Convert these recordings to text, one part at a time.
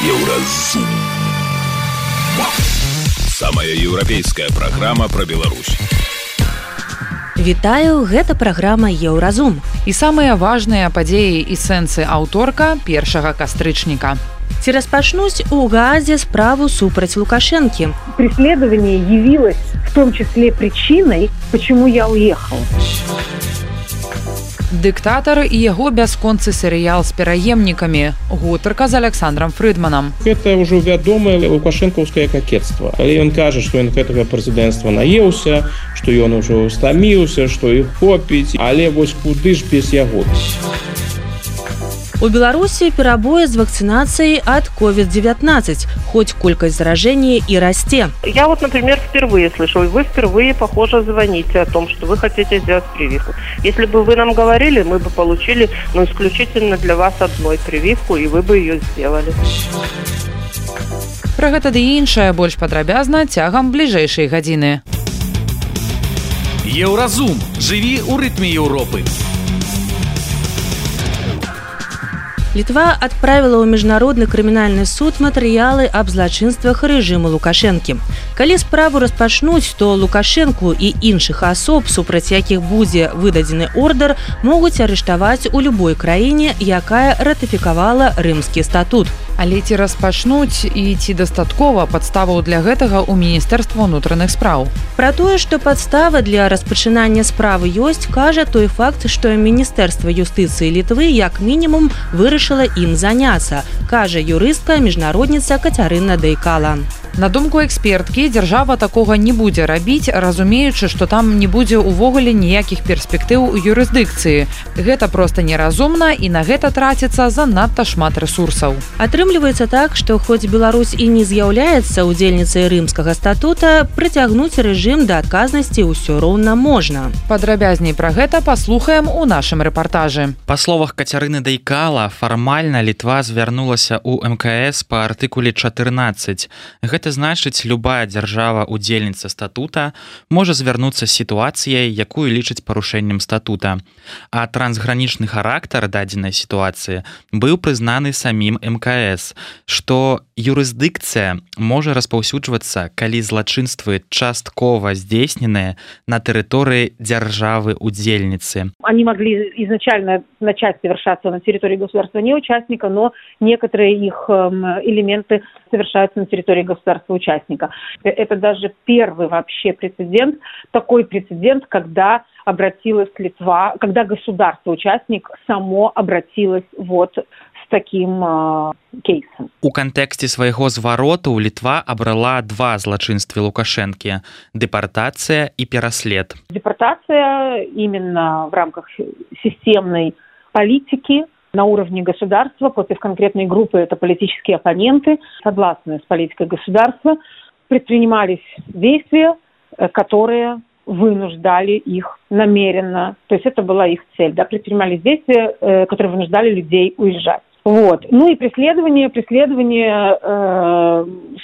Еўразум. Самая еўрапейская праграма пра Беларусь. Вітаю, гэта праграма Еўразум. І самыя важныя падзеі і сэнсы аўторка 1 кастрычніка. Ці распачнуць у Гаазе справу супраць Лукашэнкі. Преследование явилось в том числе причиной, почему я уехал. Дыктатар і яго бясконцы серыял з пераемнікамі. Гутарка з Александром Фрыдманам. Гэта ўжо вядомае лукашэнкаўскае какетство. Але ён кажа, што ён гэтага прэзідэнцтва наеўся, што ён ужо стаміўся, што іх хопіць, але вось куды ж без яго. У Беларусі перабоі з вакцинацией от COVID-19, хоть колькость заражения и расте. Я вот, например, впервые слышу, и вы впервые, похоже, звоните о том, что вы хотите сделать прививку. Если бы вы нам говорили, мы бы получили, исключительно для вас одной прививку, и вы бы ее сделали. Пра гэта ды іншае больш падрабязна цягам бліжэйшай гадзіны. Еўразум. Жыві ў рытме Еўропы. Литва отправила ў Міжнародны крымінальны суд матэрыялы аб злачынствах рэжыму Лукашэнкі. Калі справу распачнуць, то Лукашэнку і іншых асоб, супраць якіх будзе выдадзены ордэр, могуць арыштаваць у любой краіне, якая ратыфікавала Рымскі статут. Але ці распачнуць і ці дастаткова падставаў для гэтага ў Міністэрства ўнутраных спраў? Пра тое, што падстава для распачынання справы ёсць, кажа той факт, што Міністэрства юстыцыі Літвы як мінімум вырашыла ім заняцца, кажа юрыстка, міжнародніца Кацярына Дейкала. На думку эксперткі, дзяржава такога не будзе рабіць, разумеючы, што там не будзе ўвогуле ніякіх перспектыў у юрысдыкцыі. Гэта проста неразумна і на гэта траціцца занадта шмат рэсурсаў. Атрымліваецца так, што хоць Беларусь і не з'яўляецца удзельніцай Рымскага статута, прыцягнуць рэжым да адказнасці ўсё роўна можна. Падрабязней пра гэта паслухаем у нашым рэпартажы. Па словах Кацярыны Дейкала, фармальна Літва звярнулася ў МКС па артыкуле 14. Гэта значыць, любая дзяржава-удзельніца статута можа звярнуцца з сітуацыяй, якую лічыць парушэннем статута. А трансгранічны характар дадзенай сітуацыі быў прызнаны самім МКС, што юрысдыкцыя можа распаўсюджвацца, калі злачынствы часткова здзейсненыя на тэрыторыі дзяржавы-удзельніцы. Они могли изначально начать совершаться на территории государства-неучастника, но некоторые их элементы совершаются на территории государства-участника. Это даже первый вообще прецедент, такой прецедент, когда обратилась Литва, когда государство-участник само обратилось вот с таким кейсом. У кантэксце свайго звароту Літва абрала два злачынствы Лукашэнкі – депортация и пераслед. Депортация именно в рамках системной политики на уровне государства против конкретной группы, это политические оппоненты, согласные с политикой государства, предпринимались действия, которые вынуждали их намеренно, то есть это была их цель, да, предпринимались действия, которые вынуждали людей уезжать. Вот. Ну и преследование,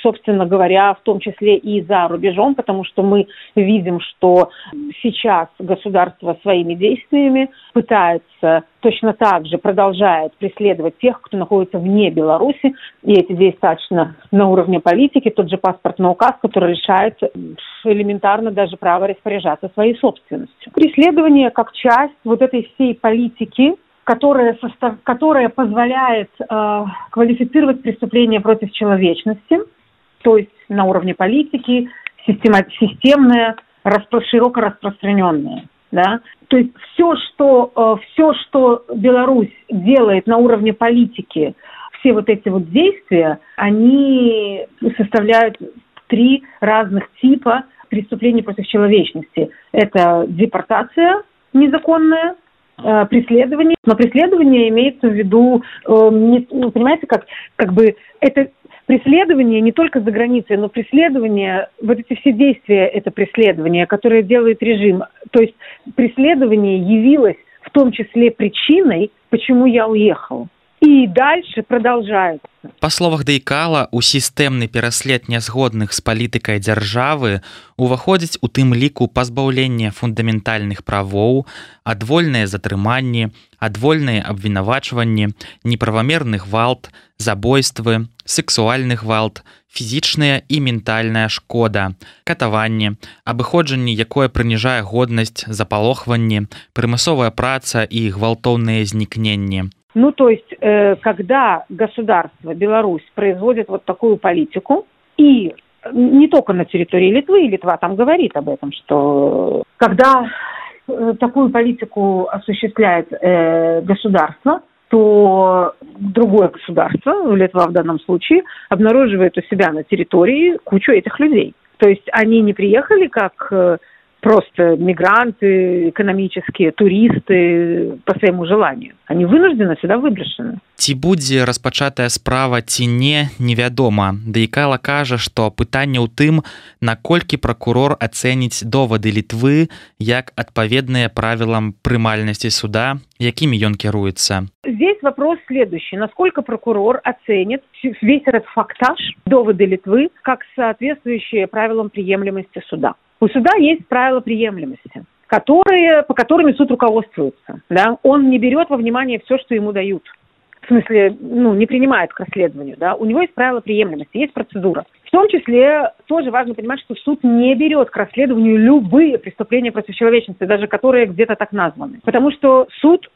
собственно говоря, в том числе и за рубежом, потому что мы видим, что сейчас государство своими действиями пытается точно так же продолжает преследовать тех, кто находится вне Беларуси, и эти действия достаточно на уровне политики, тот же паспортный указ, который лишает элементарно даже права распоряжаться своей собственностью. Преследование как часть вот этой всей политики, которая позволяет квалифицировать преступления против человечности, то есть на уровне политики, системное, широко распространенное. Да? То есть все, что Беларусь делает на уровне политики, все вот эти вот действия, они составляют 3 разных типа преступлений против человечности. Это депортация незаконная, преследование. Но преследование имеется в виду, понимаете, как бы это преследование не только за границей, но преследование, вот эти все действия, это преследование, которое делает режим. То есть преследование явилось в том числе причиной, почему я уехал. И дальше продолжается. Па словах Дейкала, у сістэмны пераслед нязгодных з палітыкай дзяржавы уваходзіць у тым ліку пазбаўленне фундаментальных правоў, адвольныя затрыманні, адвольныя абвінавачванні, неправамерны гвалт, забойствы, сексуальны гвалт, фізічная і ментальная шкода, катаванне, абыходжанне, якое прыніжае годнасць, запалохванне, прымусовая праца і гвалтоўныя знікненні. Ну, то есть, когда государство, Беларусь, производит вот такую политику, и не только на территории Литвы, и Литва там говорит об этом, что когда такую политику осуществляет государство, то другое государство, Литва в данном случае, обнаруживает у себя на территории кучу этих людей. То есть они не приехали как просто мигранты, экономические, туристы по своему желанию. Они вынуждены сюда выброшены. Ці будзе распачатая справа ці не, невядома. Дейкала кажа, што пытанне ў тым, наколькі пракурор ацэніць довады Літвы як адпаведныя правілам прымальнасці суда, якімі ён кіруецца. Здесь вопрос следующий. Насколько прокурор оценит весь этот фактаж, доводы Литвы, как соответствующие правилам приемлемости суда? У суда есть правила приемлемости, по которым суд руководствуется. Да? Он не берет во внимание все, что ему дают. В смысле, не принимает к расследованию. Да? У него есть правила приемлемости, есть процедура. В том числе тоже важно понимать, что суд не берет к расследованию любые преступления против человечности, даже которые где-то так названы. Потому что суд,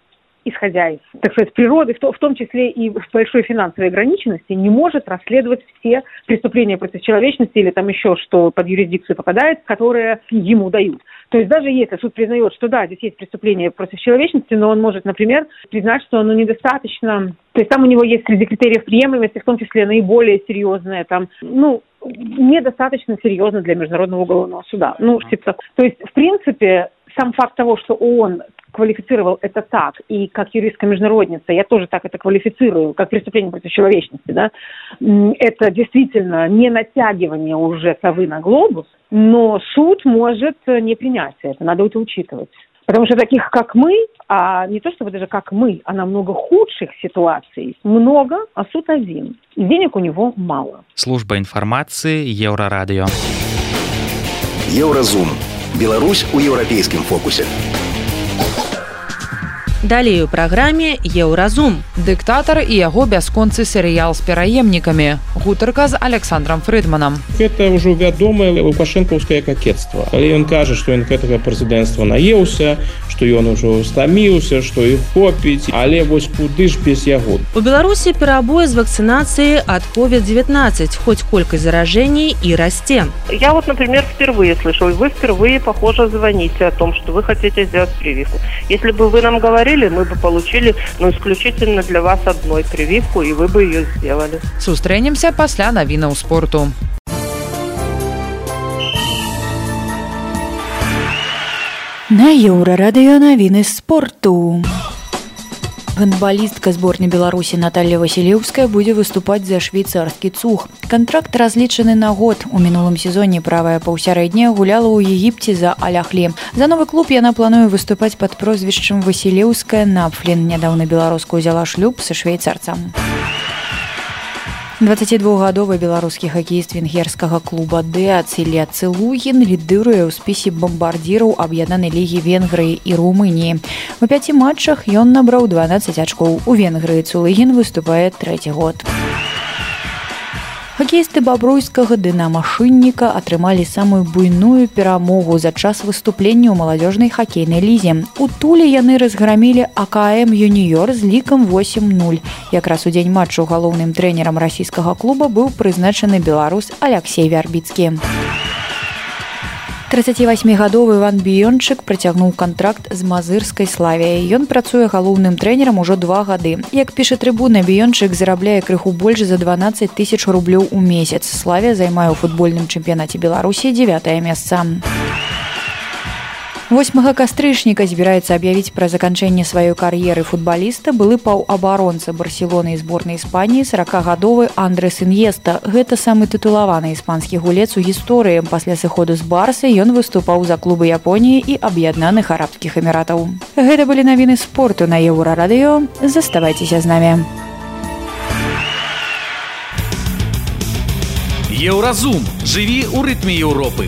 исходя из, так сказать, природы, в том числе и в большой финансовой ограниченности, не может расследовать все преступления против человечности или там еще что под юрисдикцию попадает, которые ему дают. То есть даже если суд признает, что да, здесь есть преступление против человечности, но он может, например, признать, что оно недостаточно. То есть там у него есть среди критериев приемлемости, в том числе наиболее серьезное, там, недостаточно серьезно для Международного уголовного суда. То есть, в принципе, сам факт того, что он квалифицировал это так, и как юристка-международница я тоже так это квалифицирую, как преступление против человечности, да, это действительно не натягивание уже совы на глобус, но суд может не принять это, надо это учитывать. Потому что таких, как мы, а не то чтобы даже как мы, а намного худших ситуаций много, а суд один. И денег у него мало. Служба информации Еврорадио. Евразум. Беларусь у еўрапейскім фокусе. Далее у праграме «Еўразум». Дыктатар і яго бясконцы серыял з пераемнікамі. Гутарка з Александром Фрыдманам. Это ўжо вядомае лукашэнкаўскае какецтва. Але ён кажа, што ён гэтага прэзідэнцтва наеўся, што ён ужо стаміўся, што іх хопіць, але вось куды ж без яго. У Беларусі перабой з вакцинацией от COVID-19, хоть колькость заражений и расте. Я вот, например, впервые слышу, и вы впервые, похоже, звоните о том, что вы хотите сделать прививку. Если бы вы нам говорили, мы бы получили, исключительно для вас одной прививку, и вы бы ее сделали. Сустрэнемся пасля навінаў спорту. На Еўрарадыё навіны спорту. Гандбалістка зборнай Беларусі Наталья Васілеўская будзе выступаць за швейцарскі цуг. Кантракт разлічаны на год. У мінулым сезоне правая паўсярэдняя гуляла ў Егіпце за Аль-Ахлі. За новы клуб яна плануе выступаць пад прозвішчам Васілеўская Напфлін. Нядаўна беларуска ўзяла шлюб са швейцарцам. 22-гадовы беларускі хакеіст венгерскага клуба ДЭАЦ Ілля Цылугін лідыруе ў спісе бамбардзіраў аб'яднанай лігі Венгрыі і Румыніі. У 5 матчах ён набраў 12 ачкоў. У Венгрыі Цылугін выступае 3-й год. Хакеісты бабруйскага «Дынама-Шынніка» атрымалі самую буйную перамогу за час выступлення ў маладзёжнай хакейнай лізе. У Туле яны разграмілі АКМ «Юніёр» з лікам 8-0. Якраз у дзень матчу галоўным трэнерам расійскага клуба быў прызначаны беларус Аляксей Вярбіцкі. 38-гадовы Іван Біёнчык працягнуў кантракт з мазырскай «Славіяй». Ён працуе галоўным трэнерам ужо 2 гады. Як піша Трыбуна, Біёнчык зарабляе крыху больш за 12 000 рублёў у месяц. «Славія» займае ў футбольным чэмпіянаце Беларусі 9-е месца. 8 кастрычніка збіраецца аб'явіць пра заканчэнне сваёй кар'еры футбаліста былы паўабаронца Барселоны і зборнай Іспаніі 40-гадовы Андрес Іньеста. Гэта самы тытулаваны іспанскі гулец у гісторыі. Пасля сыходу з Барсы ён выступаў за клубы Японіі і Аб'яднаных Арабскіх Эміратаў. Гэта былі навіны спорту на Еўрарадыё. Заставайцеся з намі. Еўразум. Жыві ў рытме Еўропы.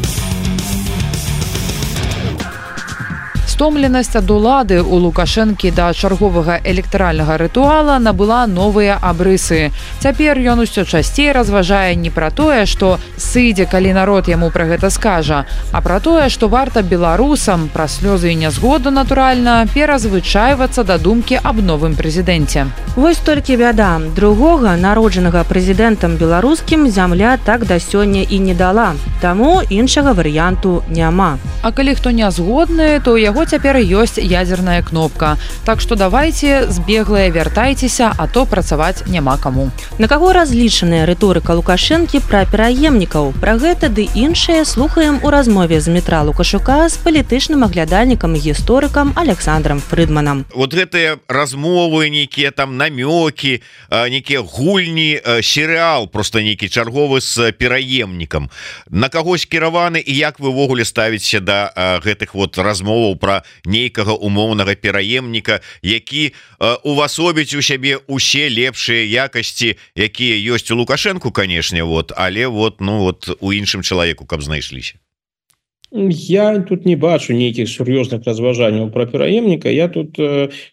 Стомленасць ад улады у Лукашэнкі да чарговага электаральнага рытуала набыла новыя абрысы. Цяпер ён усё часцей разважае не пра тое, што сыдзе, калі народ яму пра гэта скажа, а пра тое, што варта беларусам, пра слёзы і нязгоду, натуральна, перазвычайвацца да думкі аб новым прэзідэнце. Вось толькі бяда. Другога, народжанага прэзідэнтам беларускім, зямля так да сёння і не дала. Таму іншага варыянту няма. А калі хто не згодны, то у яго цяпер ёсць ядзерная кнопка. Так што давайце, збеглыя, вяртайцеся, а то працаваць няма каму. На каго разлічаная рыторыка Лукашэнкі пра пераемнікаў? Пра гэта ды іншае слухаем у размове з Дмітра Лукашука з палітычным аглядальнікам і гісторыкам Александром Фрыдманам. Вот гэтыя размовы, нейкія там намёкі, нейкія гульні, серыял просто нейкі чарговы з пераемнікам. На кагось кіраваны і як вы ўвогуле ставіце да гэтых вот размоваў пра нейкага умоўнага пераемніка, які увасобіць у сябе усе лепшыя якасці, якія ёсць у Лукашэнку, канешне, вот, але вот, ну вот у іншым чалавеку каб знайшліся. Я тут не бачу нейкіх сур'ёзных разважанняў пра пераемніка. Я тут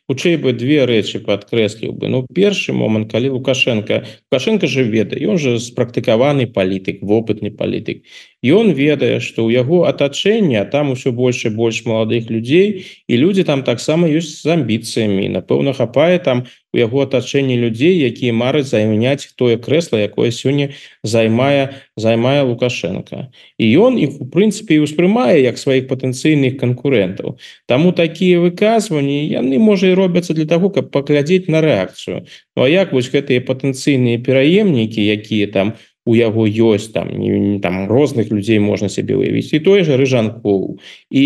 хутчэй бы две рэчы падкрэсліў бы. Ну, першы момант, калі Лукашенко же ведае, ён же спрактыкаваны палітык, вопытны палітык. Ён ведае, што ў яго атачэнне, а там усё больш і больш маладых людзей, і людзі там таксама ёсць з амбіцыямі. Напэўна, хапае там у яго атачэнні людзей, якія мараць займяць тое крэсла, якое сёння займае Лукашенко. І ён іх, у прынцыпе, і ўспрымае як сваіх патэнцыйных канкурэнтаў. Таму такія выказванні, яны, можа, і робяцца для таго, каб паглядзець на рэакцыю. Ну, а як вось гэтыя патэнцыйныя пераемнікі, якія там у яго ёсць, там розных людзей можна сябе выявіць, і той же Рыжанкоў, і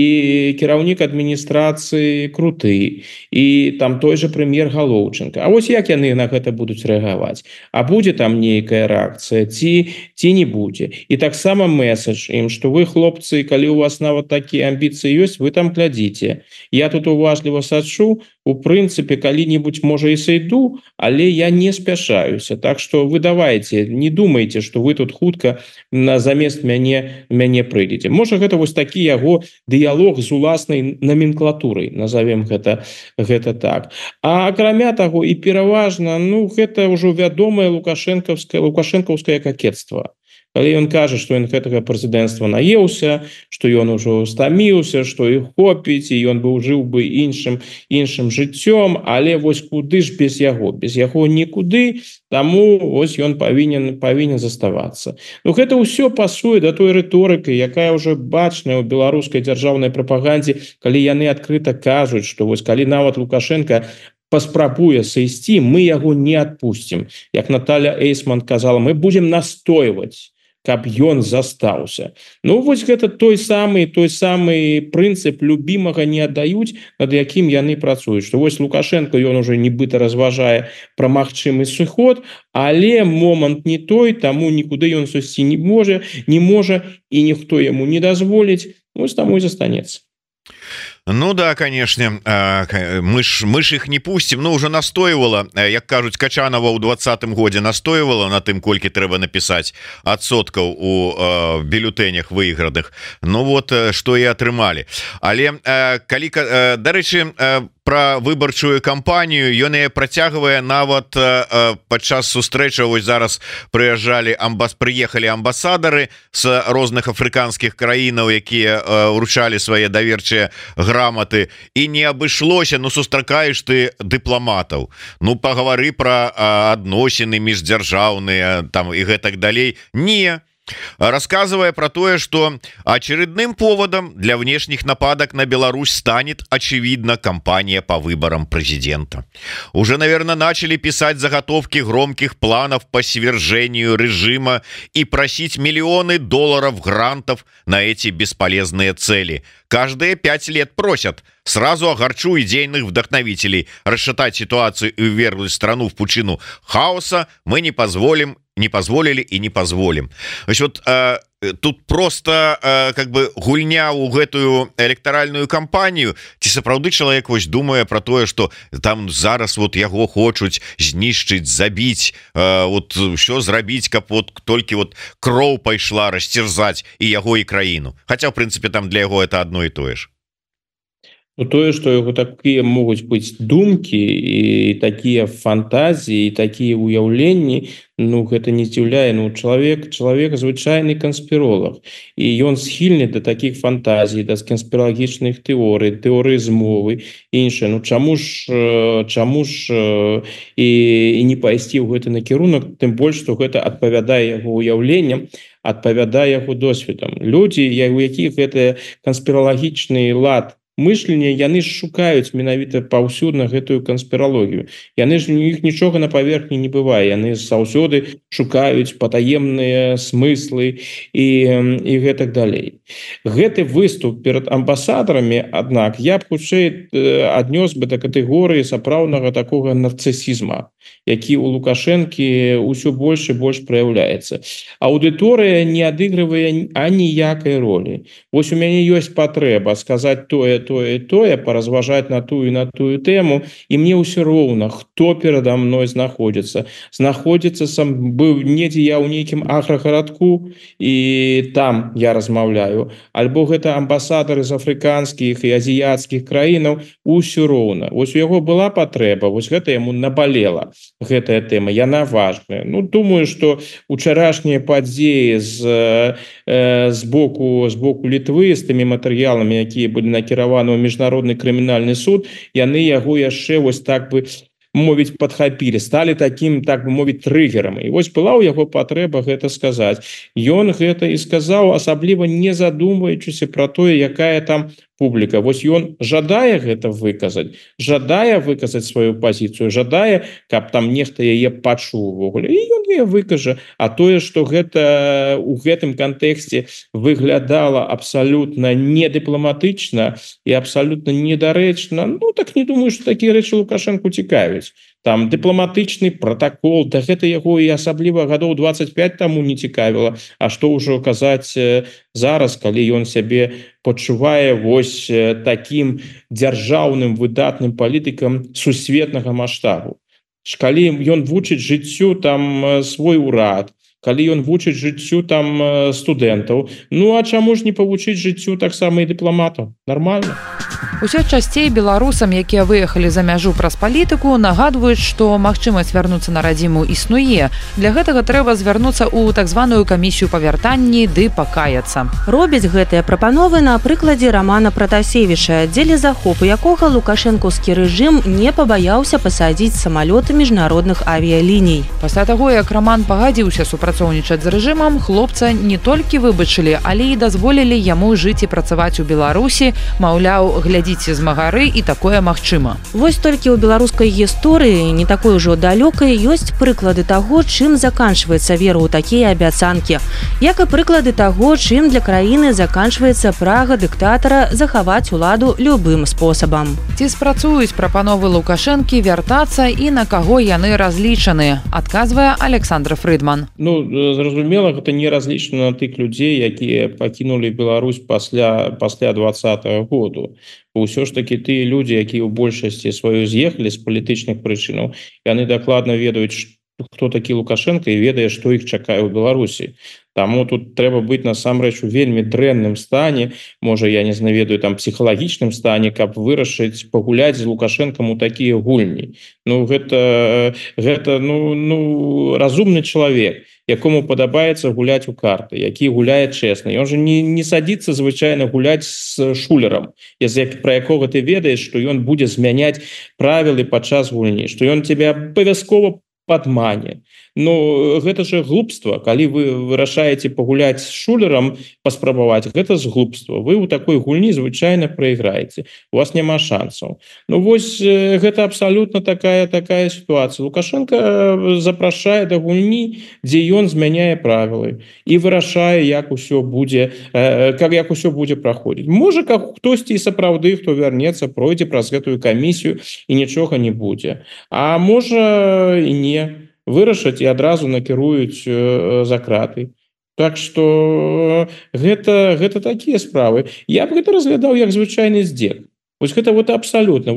кіраўнік адміністрацыі Круты, і там той же прэм'ер Галоўченко. А вось як яны на гэта будуць рэагаваць? А будзе там нейкая рэакцыя, ці не будзе? І таксама месседж ім, што вы, хлопцы, калі у вас нават такія амбіцыі ёсць, вы там глядзіце. Я тут уважліва сачу, у прынцыпе, калі-небудзь, можа, і сайду, але я не спяшаюся. Так што вы давайте, не думайте, што вы тут хутка замест мяне прыйдзеце. Можа, гэта вось такі яго дыялог з уласнай наменклатурай, назовем гэта так. А акрамя таго, і пераважна, ну, гэта ўжо вядомае лукашэнкаўскае какетства. Калі ён кажа, што ён гэтага прэзідэнцтва наеўся, што ён ужо стаміўся, што іх хопіць, і ён бы жыў бы іншым жыццём, але вось куды ж без яго? Без яго нікуды, таму вось ён павінен заставацца. Ну, гэта ўсё пасуе да той рыторыкі, якая ўжо бачная ў беларускай дзяржаўнай прапагандзе, калі яны адкрыта кажуць, што вось калі нават Лукашенко паспрабуе сысці, мы яго не адпусцім. Як Наталья Эйсман казала, мы будзем настойваць, каб ён застаўся. Ну, вось гэта той самы прынцып любімага не аддаюць, над якім яны працуюць. Што вось Лукашенко, ён уже нібыта разважае пра магчымы сыход, але момант не той, таму нікуды ён сысці не можа, і ніхто яму не дазволіць, вось таму і застанецца. Ну да, конечно, мы ж их не пустим. Ну, уже настойвала, як кажуць, Качанова ў 20-м годзе настойвала на тым, колькі трэба напісаць адсоткаў у бюлетэнях выйграных. Ну вот, што і атрымалі. Але, дарэчы, пра выбарчую кампанію ён і працягвае нават падчас сустрэчы. Вось зараз прыехалі амбасадары з розных афрыканскіх краінаў, якія ўручалі свае даверчыя граматы, і не абышлося. Ну, сустракаеш ты дыпламатаў, ну, пагавары пра адносіны міждзяржаўныя там і гэтак далей. Не. Рассказывая про то, что очередным поводом для внешних нападок на Беларусь станет, очевидно, кампания по выборам президента. Уже, наверное, начали писать заготовки громких планов по свержению режима и просить миллионы долларов грантов на эти бесполезные цели. Каждые 5 лет просят. Сразу огорчу идейных вдохновителей. Расшатать ситуацию и ввергнуть страну в пучину хаоса мы не позволим не позволили и не позволим. Вот тут просто как бы гульня ў гэтую электаральную кампанію, ці сапраўды чалавек вось думае про тое, что там зараз вот яго хочуць знішчыць, забіць, вот що зрабіць, каб вот толькі вот кроў пайшла расцерзаць і яго і краіну, хотя в принципе там для яго это одно і тое ж. Ну, тое, што яго такія могуць быць думкі і такія фантазіі, такія ўяўленні, ну гэта не здзіўляе. Ну чалавек звычайны канспіролог, і ён схільны да такіх фантазій, да канспіралагічных тэорый змовы іншае. Ну чаму ж і не пайсці ў гэты накірунак, тым больш што гэта адпавядае яго ўяўленням, адпавядае яго досведам. Людзі, у якіх гэта канспіралагічны лад мышлення, яны ж шукаюць менавіта паўсюдна гэтую канспіралогію. Яны ж у іх нічога на паверхні не бывае, яны заўсёды шукаюць патаемныя смыслы і гэтак далей. Гэты выступ перад амбасадарамі, аднак я б хутчэй аднёс бы да катэгорыі сапраўднага такога нарцысізма, які у Лукашэнкі ўсё больш і больш праяўляецца. Аўдыторыя не адыгрывае аніякай ролі. Вось у мяне ёсць патрэба сказаць тое, поразважаць на тую і на тую тэму, і мне ўсё роўна, хто перада мной знаходзіцца сам быў недзе я ў нейкім аграгарадку і там я размаўляю, альбо гэта амбасадары з афрыканскіх і азіяцкіх краінаў, усё роўна. Вось у яго была патрэба, вось гэта яму набалела, гэтая тэма, яна важная. Ну думаю, што учарашнія падзеі з боку Літвы з тымі матэрыяламі, якія былі накіраваны у міжнародны крымінальны суд, яны яго яшчэ вось так бы мовіць падхапілі, сталі такім, так бы мовіць, трыгерам. І вось была ў яго патрэба гэта сказаць. Ён гэта і сказаў, асабліва не задумваючыся пра тое, якая там публіка. Вось ён жадае гэта выказаць, жадае выказаць сваю пазіцыю, жадае, каб там нехта яе пачуў увогуле. І ён яе выкажа. А тое, што гэта у гэтым кантэксце выглядала абсалютна недыпламатычна і абсалютна недарэчна, ну так не думаю, што такія рэчы Лукашэнку цікавяць. Там дыпламатычны протакол, да гэта яго і асабліва гадоў 25 таму не цікавіла. А што ўжо казаць зараз, калі ён сябе пачувае вось такім дзяржаўным выдатным палітыкам сусветнага маштабу. Калі ён вучыць жыццю там свой урад, калі ён вучыць жыццю там студэнтаў, ну а чаму ж не павучыць жыццю таксама і дыпламатаў? Нармальна. Усё часцей беларусам, якія выехалі за мяжу праз палітыку, нагадваюць, што магчымасць вярнуцца на радзіму існуе. Для гэтага трэба звярнуцца ў так званую камісію па вяртанні ды пакаяцца. Робяць гэтыя прапановы на прыкладзе Рамана Пратасевіча, дзеля захопу якога лукашэнкаўскі рэжым не пабаяўся пасадзіць самалёты міжнародных авіяліній. Пасля таго, як Раман пагадзіўся супрацоўнічаць з рэжымам, хлопца не толькі выбачылі, але і дазволілі яму жыць і працаваць у Беларусі, маўляў, глядзіце з магары, і такое магчыма. Вось толькі ў беларускай гісторыі, не такой ужо далёкай, ёсць прыклады таго, чым заканчваецца вера ў такія абяцанкі. Як і прыклады таго, чым для краіны заканчваецца прага дыктатара захаваць уладу любым спосабам. Ці спрацуюць прапановы Лукашэнкі вяртацца і на каго яны разлічаны, адказвае Александр Фрыдман. Ну, зразумела, гэта не разлічана на тых людзей, якія пакінулі Беларусь пасля 20-го году. Ўсё ж такі тыя людзі, якія ў большасці сваёй з'ехалі з палітычных прычынаў, яны дакладна ведаюць, хто такі Лукашенко і ведае, што іх чакае ў Беларусі. Таму тут трэба быць насамрэч у вельмі дрэнным стане, можа, я не знаведаю, там псіхалагічным стане, каб вырашыць пагуляць з Лукашэнкам у такія гульні. Ну гэта разумны чалавек, якому падабаецца гуляць у карты, які гуляе чэсна. Ён жа не садзіцца звычайна гуляць з шулерам, пра якога ты ведаеш, што ён будзе змяняць правілы падчас гульні, што ён тебе абавязкова падмане. Ну, гэта же глупства. Калі вы вырашаеце пагуляць з шулерам, паспрабаваць, гэта з глупства. Вы ў такой гульні звычайна прайграеце. У вас няма шансаў. Ну, вось гэта абсалютна такая сітуацыя. Лукашенко запрашае да гульні, дзе ён змяняе правілы і вырашае, як усё будзе праходзіць. Можа, хтосьці і сапраўды, хто вярнецца, пройдзе праз гэтую камісію і нічога не будзе. А можа і не. вырашаць і адразу накіруюць за краты. Так что гэта такія справы. Я б гэта разглядаў як звычайны здзек. Вось гэта вот абсалютна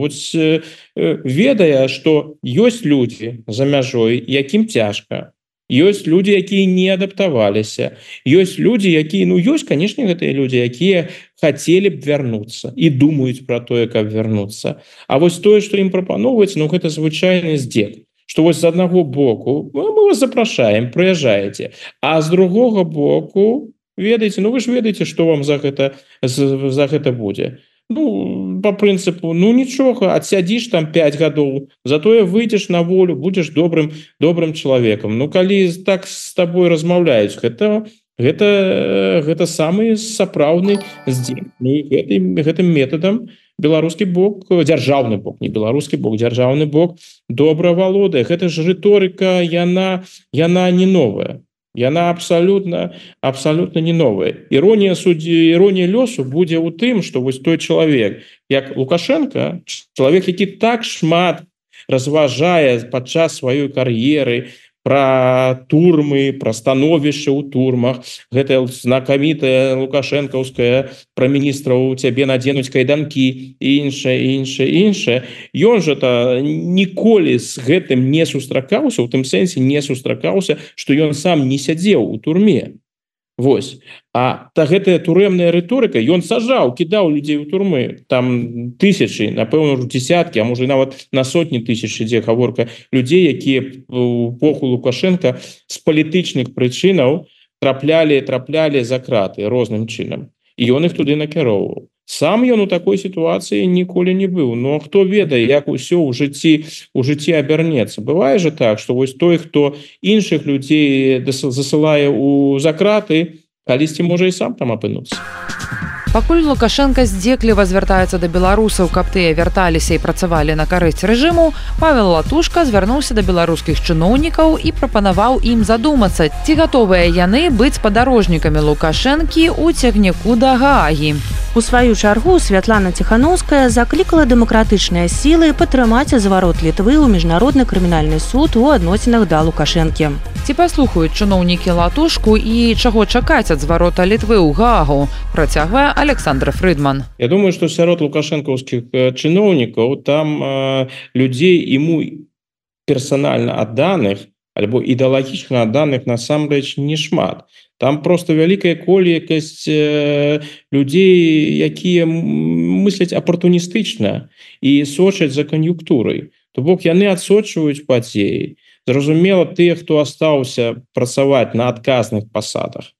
ведае, што ёсць людзі за мяжой, якім цяжка. Ёсць людзі, якія не адаптаваліся. Ёсць людзі, якія, ёсць, канешне, гэтыя людзі, якія хацелі б вярнуцца і думаюць пра тое, каб вярнуцца. А вось тое, што ім прапаноўваецца, гэта звычайны здзек. Што вось з аднаго боку мы вас запрашаем, прыязджаеце, а з другога боку ведаеце, вы ж ведаеце, што вам за гэта будзе. По прынцыпу, нічога, адсядзіш там 5 гадоў, затое выйдзеш на волю, будзеш добрым чалавекам. Калі так з табой размаўляюць, гэта самы сапраўдны здзек. Гэтым метадам беларускі бок, дзяржаўны бок, не беларускі бок, дзяржаўны бок добра валодае. Гэта ж рыторыка, яна не новая. Яна абсалютна не новая. Іронія лёсу будзе ў тым, што вось той чалавек, як Лукашенко, чалавек, які так шмат разважае падчас сваёй кар'еры пра турмы, пра становішча ў турмах, гэта знакамітая лукашэнкаўская пра міністраў цябе надзенуць кайданкі і іншае. Ён жа ніколі з гэтым не сустракаўся, у тым сэнсе не сустракаўся, што ён сам не сядзеў у турме. Вось. А гэтая турэмная рыторыка, ён сажаў, кідаў людзей у турмы. Там тысячы, напэўна, дзесяткі, а можа нават на сотні тысяч ідзе гаворка людзей, якія ў эпоху Лукашенка з палітычных прычынаў траплялі за краты розным чынам. І ён іх туды накіроўваў. Сам ён у такой сітуацыі ніколі не быў. Хто ведае, як усё ў жыцці абярнецца. Бывае же так, што вось той, хто іншых людзей засылае за краты, калісьці можа і сам там апынуцца. Пакуль Лукашенко здзекліва звяртаецца да беларусаў, каб тыя вярталіся і працавалі на карысць рэжыму, Павел Латушка звярнуўся да беларускіх чыноўнікаў і прапанаваў ім задумацца, ці гатовыя яны быць спадарожнікамі Лукашэнкі ў цягніку да Гаагі. У сваю чаргу Святлана Ціханаўская заклікала дэмакратычныя сілы падтрымаць зварот Літвы ў міжнародны крымінальны суд у адносінах да Лукашэнкі. Ці паслухаюць чыноўнікі Латушку і чаго чакаць ад зварота Літвы ў Гаагу, працягвае Александр Фрыдман. Я думаю, што сярод лукашэнкаўскіх чыноўнікаў там людзей ему персанальна адданых альбо ідэалагічна адданых насамрэч не шмат. Там просто вялікая колькасць людзей, якія мысляць апартуністычна і сочаць за кан'юнктурай. То бок яны адсочваюць падзеі. Зразумела, тыя, хто астаўся працаваць на адказных пасадах,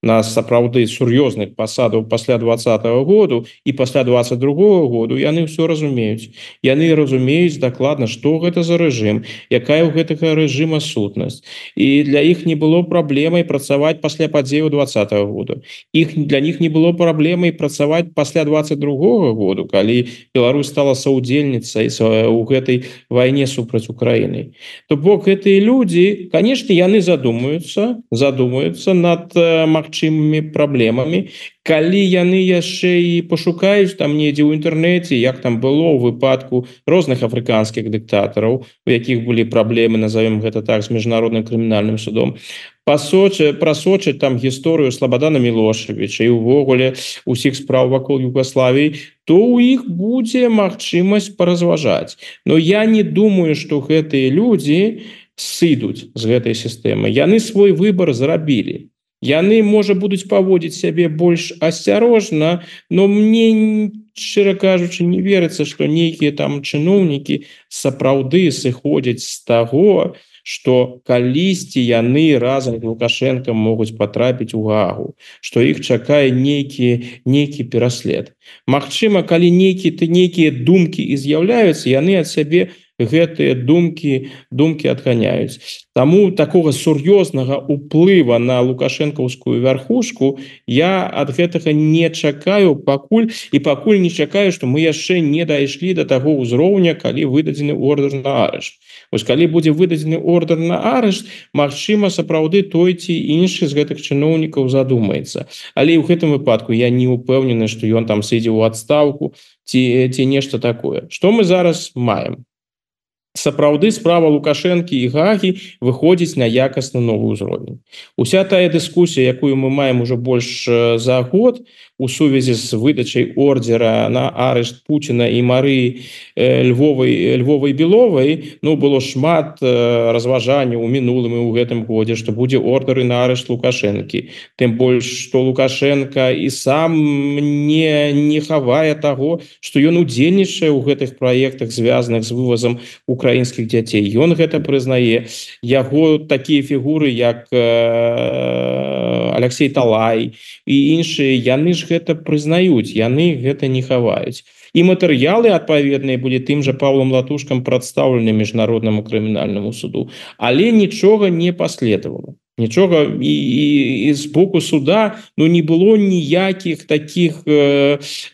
на сапраўды сур'ёзных пасадаў пасля 2020 году і пасля 2022 году, яны ўсё разумеюць. Яны разумеюць дакладна, што гэта за рэжым, якая ў гэтага рэжыма сутнасць. І для іх не было праблемай працаваць пасля падзеяў 2020 году. Для них не было праблемай працаваць пасля 2022 году, калі Беларусь стала саўдзельніцай у гэтай вайне супраць Украіны. То бок гэтыя людзі, канешне, яны задумаюцца над магчымымі праблемамі, калі яны яшчэ і пашукаюць там недзе ў інтэрнэце, як там было ў выпадку розных афрыканскіх дыктатараў, у якіх былі праблемы, назовем гэта так, з міжнародным крымінальным судом, прасочаць там гісторыю Слабадана Мілошавіча і ўвогуле усіх спраў вакол Югославіі, то ў іх будзе магчымасць паразважаць. Но я не думаю, што гэтыя людзі сыдуць з гэтай сістэмы. Яны свой выбар зрабілі. Яны, можа, будуць паводзіць сябе больш асцярожна, но мне, шчыра кажучы, не верыцца, што нейкія там чыноўнікі сапраўды сыходзяць з таго, што калісьці яны разам з Лукашэнкам могуць патрапіць у Гаагу, што іх чакае нейкі пераслед. Магчыма, калі нейкія думкі і з'яўляюцца, яны ад сябе гэтыя думкі адганяюць. Таму такога сур'ёзнага ўплыва на лукашэнкаўскую вярхушку я ад гэтага не чакаю пакуль не чакаю, што мы яшчэ не дайшлі да таго ўзроўня, калі выдадзены ордэр на арышт. Вось калі будзе выдадзены ордэр на арышт, магчыма, сапраўды той ці іншы з гэтых чыноўнікаў задумаецца. Але ў гэтым выпадку я не ўпэўнены, што ён там сыдзе ў адстаўку ці нешта такое. Што мы зараз маем? сапраўды справа Лукашэнкі і Гагі выходзіць на якасна новы ўзровень. Уся тая дыскусія, якую мы маем уже больш за год у сувязі з выдачай ордера на арышт Пуціна і Марыі Львовай Беловай, было шмат разважанняў у мінулым і ў гэтым годзе, што будзе ордары на арышт Лукашэнкі. Тым больш, што Лукашенко і сам не хавае таго, што ён удзельнічае ў гэтых праектах, звязаных з вывазам украінскіх дзяцей. Ён гэта прызнае. Яго такія фігуры, як Алексей Талай і іншыя, яны ж гэта прызнаюць, яны гэта не хаваюць. І матэрыялы адпаведныя былі тым жа Павлом Латушкам прадстаўлены міжнароднаму крымінальнаму суду. Але нічога не паследавала. Нічога і з боку суда не было ніякіх такіх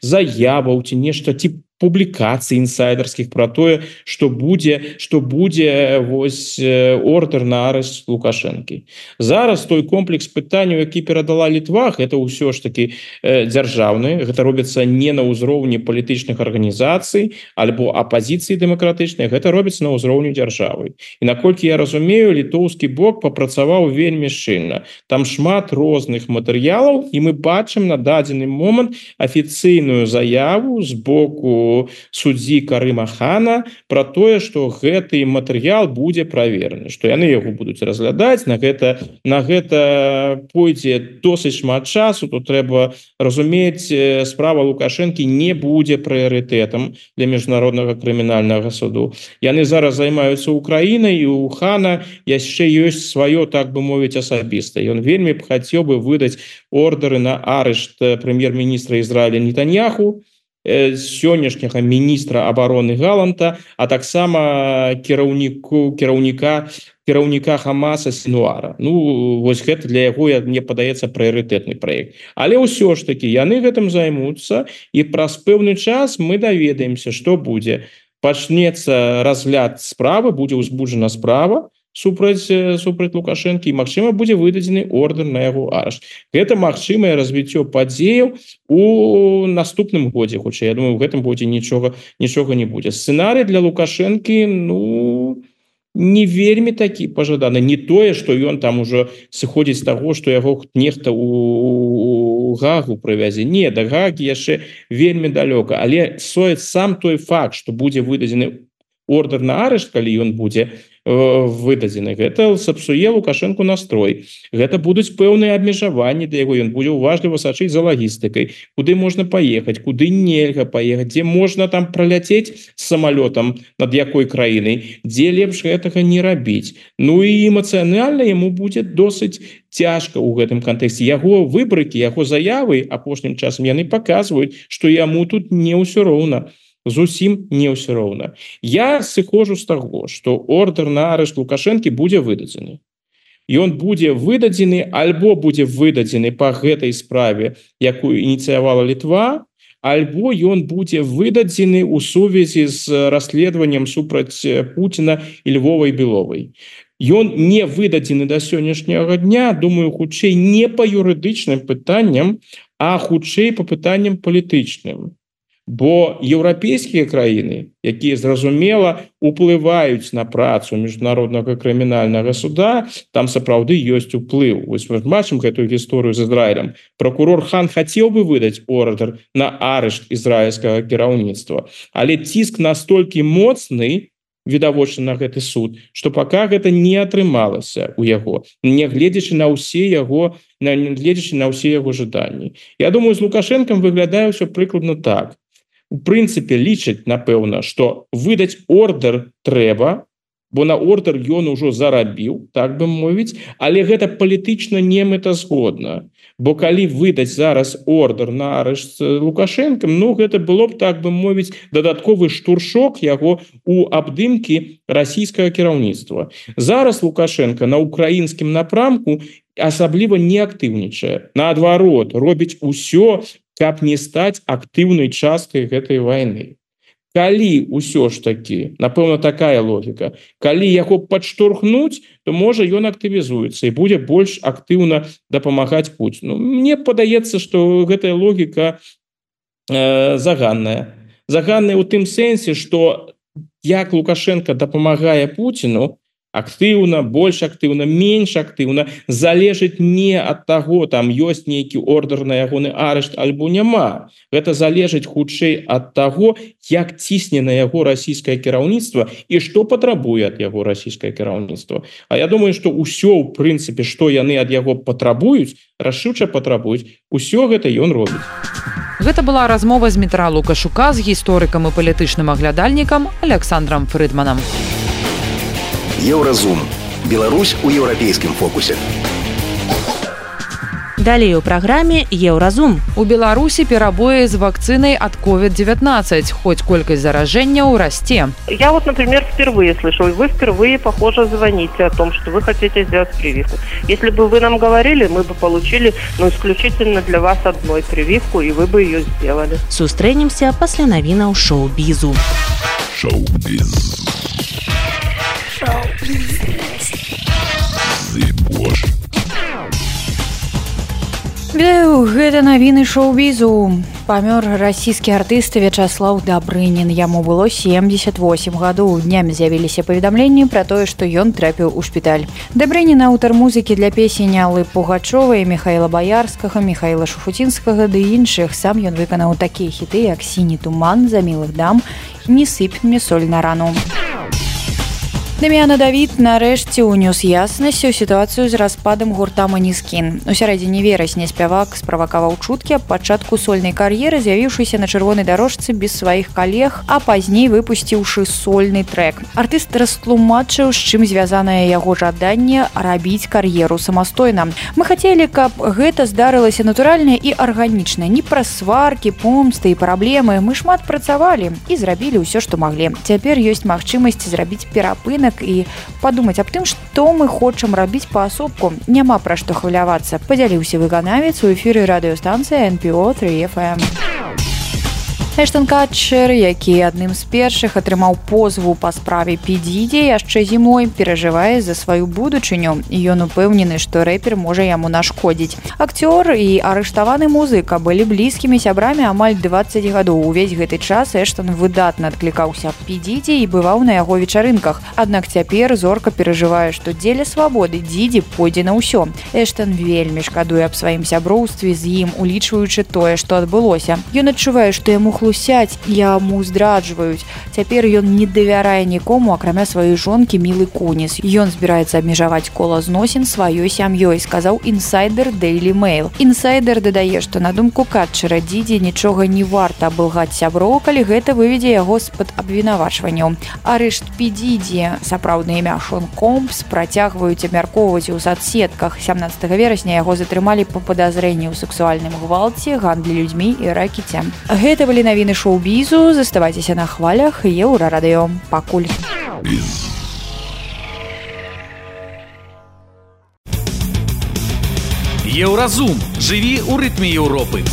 заяваў ці нешта ці публікацый інсайдерскіх пра тое, што будзе вось ордер на арышт Лукашэнкі. Зараз той комплекс пытанняў, які перадала Літва, гэта ўсё ж такі дзяржаўны, гэта робіцца не на ўзроўні палітычных арганізацый альбо апазіцыі дэмакратычнай, гэта робіцца на ўзроўні дзяржавы. І наколькі я разумею, літоўскі бок папрацаваў вельмі шчыльна. Там шмат розных матэрыялаў, і мы бачым на дадзены момант афіцыйную заяву з боку суддзі Карыма Хана пра тое, што гэты матэрыял будзе правераны, што яны яго будуць разглядаць. На гэта пойдзе досыць шмат часу. Тут трэба разумець, справа Лукашэнкі не будзе прыярытэтам для міжнароднага крымінальнага суду. Яны зараз займаюцца Украінай, і у Хана яшчэ ёсць сваё, так бы мовіць, асабіста. Ён вельмі б хацеў бы выдаць ордары на арышт прэм'ер-міністра Ізраіля Нетаньяху, сённяшняга міністра абароны Галанта, а таксама кіраўніка Хамаса Сінуара. Вось гэта для яго, мне падаецца, прыярытэтны праект. Але ўсё ж такі яны гэтым займуцца, і праз пэўны час мы даведаемся, што будзе. Пачнецца разгляд справы, будзе ўзбуджана справа супраць Лукашэнкі, і, магчыма, будзе выдадзены ордер на яго арышт. Гэта магчымае развіццё падзеяў у наступным годзе, хутчэй. Я думаю, у гэтым годзе нічога не будзе. Сцэнарый для Лукашэнкі, не вельмі такі пажаданы. Не тое, што ён там ужо сыходзіць з таго, што яго нехта у Гагу прывязе. Не, да Гагі яшчэ вельмі далёка. Але сам той факт, што будзе выдадзены ордер на арышт, калі ён будзе выдадзены, гэта сапсуе Лукашэнку настрой. Гэта будуць пэўныя абмежаванні да яго. Ён будзе уважліва сачыць за лагістыкай, куды можна паехаць, куды нельга паехаць, дзе можна там праляцець самалётам над якой краінай, дзе лепш гэтага не рабіць. І эмацыянальна яму будзе досыць цяжка ў гэтым кантэксце. Яго выбрыкі, яго заявы апошнім часам яны паказваюць, што яму тут не ўсё роўна. Зусім не ўсё роўна. Я сыходжу з таго, што ордер на арышт Лукашэнкі будзе выдадзены. Ён будзе выдадзены альбо будзе выдадзены па гэтай справе, якую ініцыявала Літва, альбо ён будзе выдадзены ў сувязі з расследаваннем супраць Пуціна і Львовай Беловай. Ён не выдадзены да сённяшняга дня, думаю, хутчэй не па юрыдычным пытанням, а хутчэй па пытанням палітычным. Бо еўрапейскія краіны, якія, зразумела, уплываюць на працу міжнароднага крымінальнага суда, там сапраўды ёсць уплыў. Вось мы бачым гэтую гісторыю з Ізраілем. Пракурор Хан хацеў бы выдаць ордер на арышт ізраільскага кіраўніцтва, але ціск настолькі моцны, відавочна, на гэты суд, што пака гэта не атрымалася ў яго, нягледзячы на ўсе яго жаданні. Я думаю, з Лукашэнкам выглядае ўсё прыкладна так. У прынцыпе, лічаць, напэўна, што выдаць ордер трэба, бо на ордер ён ужо зарабіў, так бы мовіць, але гэта палітычна не мэтазгодна. Бо калі выдаць зараз ордер на арышт Лукашэнкам, гэта было б, так бы мовіць, дадатковы штуршок яго у абдымкі расійскага кіраўніцтва. Зараз Лукашенко на украінскім напрамку асабліва не актыўнічае. Наадварот, робіць усё, каб не стаць актыўнай часткай гэтай вайны. Калі ўсё ж такі, напэўна, такая логіка, калі яго падштурхнуць, то можа ён актывізуецца і будзе больш актыўна дапамагаць Пуціну. Мне падаецца, што гэтая логіка заганная. Заганная ў тым сэнсе, што як Лукашенко дапамагае Путіну, актыўна, больш актыўна, менш актыўна, залежыць не ад таго, там ёсць нейкі ордер на ягоны арышт альбо няма. Гэта залежыць хутчэй ад таго, як цісне на яго расійскае кіраўніцтва і што патрабуе ад яго расійскае кіраўніцтва. А я думаю, што ўсё, ў прынцыпе, што яны ад яго патрабуюць, рашыўча патрабуюць, усё гэта ён робіць. Гэта была размова з Дмітра Лукашука з гісторыкам і палітычным аглядальнікам Александром Фрыдманам. Еўразум. Беларусь у еўрапейскім фокусе. Далей у праграме Еўразум. У Беларусі перабоі з вакцынай ад COVID-19, хоць колькасць заражэнняў расце. Я вот, например, впервые слышу, и вы впервые, похоже, звоните о том, что вы хотите сделать прививку. Если бы вы нам говорили, мы бы получили, исключительно для вас одной прививку, и вы бы ее сделали. Сустрэнемся пасля навінаў шоу-бізу. Шоу-біз. Вітаю, гэта навіны шоу-бізу. Памёр расійскі артыст Вячаслаў Дабрынін. Яму было 78 гадоў. Днямі з'явіліся паведамленні пра тое, што ён трапіў у шпіталь. Дабрынін аўтар музыкі для песень Аллы Пугачовай, Михаіла Баярскага, Михаіла Шуфутінскага ды іншых. Сам ён выканаў такія хіты, як «Сіні туман», «За мілых дам», «Не сыпь мне соль на рану». Дам'яна Давід нарэшце ўнёс яснасць у сітуацыю з распадам гурта «Маніскін». У сярэдзіне верасня спявак справакаваў чуткі аб пачатку сольнай кар'еры, з'явіўшыся на чырвонай дарожцы без сваіх калег, а пазней выпусціўшы сольны трэк. Артыст растлумачыў, з чым звязанае яго жаданне рабіць кар'еру самастойна. Мы хацелі, каб гэта здарылася натуральна і арганічна, не праз сваркі, помсты і праблемы. Мы шмат працавалі і зрабілі ўсё, што маглі. Цяпер ёсць магчымасць зрабіць перапынак і падумаць аб тым, што мы хочам рабіць паасобку. Няма пра што хвалявацца, падзяліўся выканавец у эфіры радыёстанцыі NPO 3FM. Эштон Катчер, які адным з першых атрымаў позву па справе Пі Діді яшчэ зімой, перажывае за сваю будучыню. Ён упэўнены, што рэпер можа яму нашкодзіць. Акцёр і арыштаваны музыка былі блізкімі сябрамі амаль 20 гадоў. Увесь гэты час Эштон выдатна адклікаўся аб Пі Діді і бываў на яго вечарынках. Аднак цяпер зорка перажывае, што дзеля свабоды Діді пойдзе на ўсё. Эштон вельмі шкадуе аб сваім сяброўстве з ім, улічваючы тое, што адбылося. Ён адчувае, што яму хлусяць, яму здраджваюць. Цяпер ён не давярае нікому, акрамя сваёй жонкі Мілы Куніс. Ён збіраецца абмежаваць кола зносін сваёй сям'ёй, сказаў інсайдер Daily Mail. Інсайдер дадае, што на думку Катчера Дідзі нічога не варта абылгаць сяброў, калі гэта выведзе яго з-пад абвінавачванняў. Арышт Пі Дідзі, сапраўднае імя Шон Компс, працягваюць абмяркоўваць у соцсетках. 17 верасня яго затрымалі па падазрэнні ў сексуальным гвалце, гандлі людзьмі і ракеце. Гэта былі навіны шоу-бізу. Заставайцеся на хвалях Еўрарадыё. Пакуль. Еўразум. Жыві ў рытме Еўропы.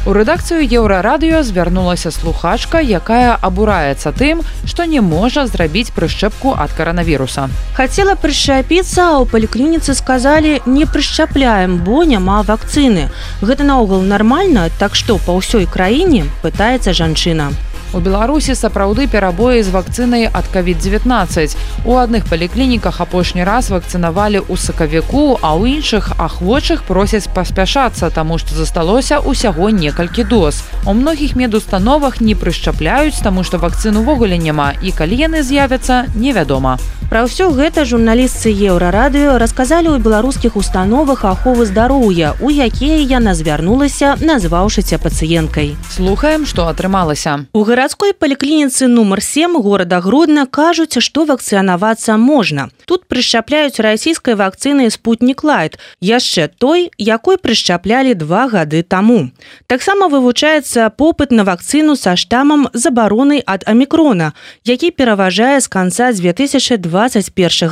У рэдакцыю Еўрарадыё звярнулася слухачка, якая абураецца тым, што не можа зрабіць прышчэпку ад каранавіруса. Хацела прышчапіцца, а ў паліклініцы сказалі: не прышчапляем, бо няма вакцыны. Гэта наогул нармальна, так што па ўсёй краіне, пытаецца жанчына. У Беларусі сапраўды перабоі з вакцынай ад COVID-19. У адных паліклініках апошні раз вакцынавалі ў сакавіку, а ў іншых ахвочых просяць паспяшацца, таму што засталося ўсяго некалькі доз. У многіх медустановах не прышчапляюць, таму што вакцын увогуле няма, і калі яны з'явяцца, невядома. Пра ўсё гэта журналістцы Еўрарадыё расказалі ў беларускіх установах аховы здароўя, у якія яна звярнулася, назваўшыся пацыенткай. Слухаем, што атрымалася. У гарадской паліклініцы нумар 7 горада Гродна кажуць, што вакцынавацца можна. Тут прышчапляюць расійскай вакцынай «Спутнік Лайт», яшчэ той, якой прышчаплялі 2 гады таму. Таксама вывучаецца попыт на вакцыну са штамам забароны ад амікрона, які пераважае з канца 2021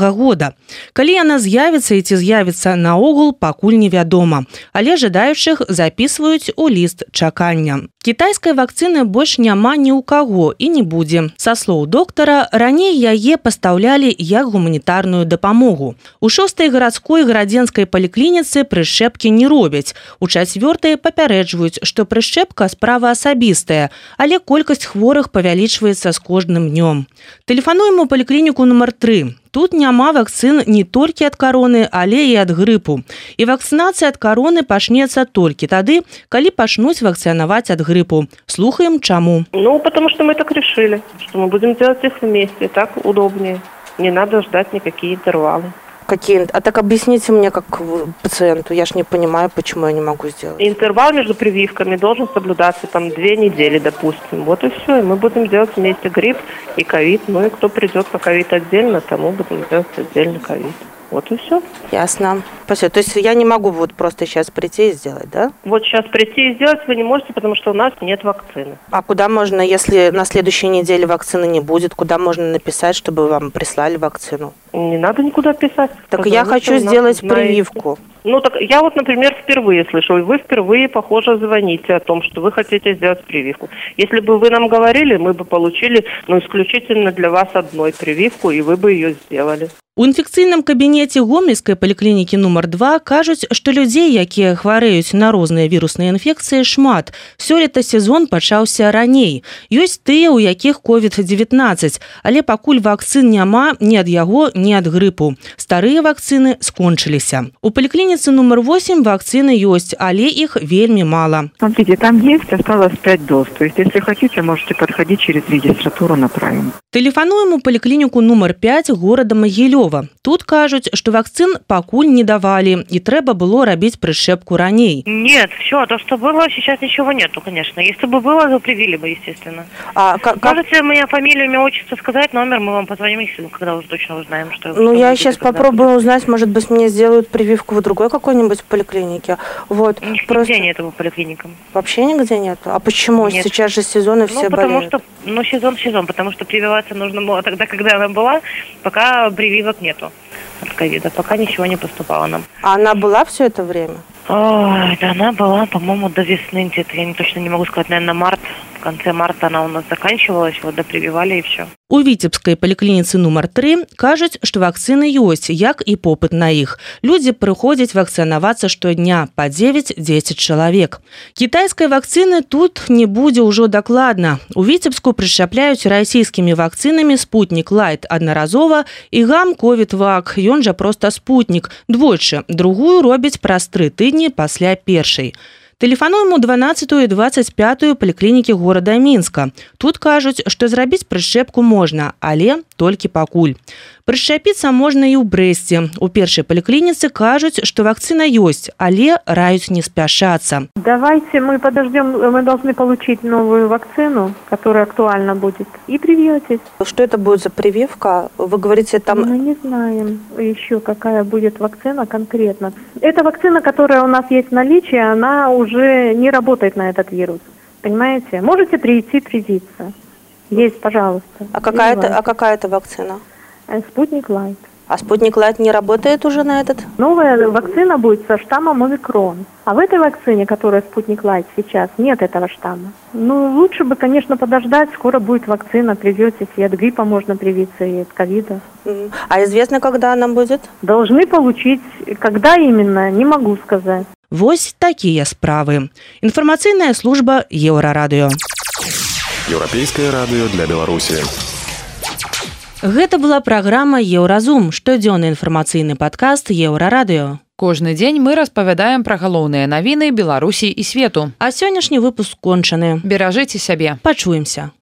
года. Калі яна з'явіцца і ці з'явіцца наогул, пакуль невядома, але жадаючых запісваюць у ліст чакання. Кітайскай вакцыны больш няма ні ў каго і не будзе. Са слоў доктара, раней яе пастаўлялі як гуманітарную дапамогу. У 6-й гарадской гарадзенскай паліклініцы прышчэпкі не робяць. У 4-й папярэджваюць, што прышчэпка справа асабістая, але колькасць хворых павялічваецца з кожным днём. Тэлефануем у паліклініку нумар 3. Тут няма вакцын не толькі ад кароны, але і ад грыпу. І вакцынацыя ад кароны пачнецца толькі тады, калі пачнуць вакцынаваць ад грыпу. Слухаем, чаму. Потому что мы так решили, что мы будем делать их вместе, так удобнее. Не надо ждать никакие интервалы. А так объясните мне, как пациенту, я ж не понимаю, почему я не могу сделать. Интервал между прививками должен соблюдаться 2 недели, допустим. Вот и все. И мы будем делать вместе грипп и ковид. Ну и кто придет на ковид отдельно, тому будем делать отдельно ковид. Вот и все. Ясно. Спасибо. То есть я не могу вот просто сейчас прийти и сделать, да? Вот сейчас прийти и сделать вы не можете, потому что у нас нет вакцины. А куда можно, если на следующей неделе вакцины не будет, куда можно написать, чтобы вам прислали вакцину? Не надо никуда писать. Так я хочу сделать прививку. Так я вот, например, впервые слышу, и вы впервые, похоже, звоните о том, что вы хотите сделать прививку. Если бы вы нам говорили, мы бы получили, исключительно для вас одной прививку, и вы бы ее сделали. У інфекцыйным кабінеце гомельскай паліклінікі нумар 2 кажуць, што людзей, якія хварэюць на розныя вірусныя інфекцыі, шмат. Сёлета сезон пачаўся раней. Ёсць тыя, у якіх COVID-19, але пакуль вакцын няма ні ад яго, ні ад грыпу. Старыя вакцыны скончыліся. У паліклініцы нумар 8 вакцыны ёсць, але іх вельмі мала. Смотрите, там есть, осталось 5 доз. То есть, если хотите, можете подходить через регистратуру, направим. Тэлефануем у паліклініку нумар 5 горада Магілёва. Тут кажуць, што вакцын пакуль не давалі, і трэба было рабіць прышчэпку раней. Нет, все, то, что было, сейчас ничего нету, конечно. Если бы было, то привили бы, естественно. Можете мне фамилию, имя, отчество сказать, номер, мы вам позвоним, когда уже точно узнаем, что... Я сейчас попробую узнать, может быть, мне сделают прививку в другой какой-нибудь поликлинике. Вот. Нигде нет его поликлиникам. Вообще нигде нет? А почему? Нет. Сейчас же сезон, и все болеют. Сезон, потому что прививаться нужно было тогда, когда она была, пока прививок нету от ковида, пока ничего не поступало нам. А она была все это время? Она была, по-моему, до весны где-то, я точно не могу сказать, наверное, март. В конце марта она у нас заканчивалась, допрививали и все. У Віцебскай паліклініцы нумар 3 кажуць, што вакцыны ёсць, як і попыт на іх. Людзі прыходзяць вакцынавацца штодня па 9-10 чалавек. Кітайскай вакцыны тут не будзе ўжо дакладна. У Віцебску прышчапляюць расійскімі вакцынамі Спутник Лайт аднаразова і гам Ковід-Вак, ён жа проста Спутник, двойчы. Другую робяць праз 3 тыдні пасля першай. Тэлефануем у 12-ю і 25-ю паліклінікі горада Мінска. Тут кажуць, што зрабіць прышчэпку можна, але толькі пакуль. Прышчапіцца можна і ў Брэсце. У першай паліклініцы кажуць, што вакцына ёсць, але раюць не спяшацца. Давайте мы подождем, мы должны получить новую вакцину, которая актуальна будет, и привьетесь. Что это будет за прививка? Вы говорите, там... Мы не знаем еще, какая будет вакцина конкретно. Эта вакцина, которая у нас есть в наличии, она уже не работает на этот вирус. Понимаете? Можете прийти привиться. Есть, пожалуйста. А какая это вакцина? Спутник Лайт. А Спутник Лайт не работает уже на этот? Новая вакцина будет со штаммом Омикрон. А в этой вакцине, которая Спутник Лайт сейчас, нет этого штамма. Лучше бы, конечно, подождать. Скоро будет вакцина, привьетесь. И от гриппа можно привиться, и от ковида. А известно, когда она будет? Должны получить. Когда именно, не могу сказать. Вось такія справы. Інфармацыйная служба Еўрарадыё. Еўрапейскае радыё для Беларусі. Гэта была праграма «Еўразум», штодзённы інфармацыйны падкаст Еўрарадыё. Кожны дзень мы распавядаем пра галоўныя навіны Беларусі і свету. А сённяшні выпуск кончаны. Беражыце сябе. Пачуемся.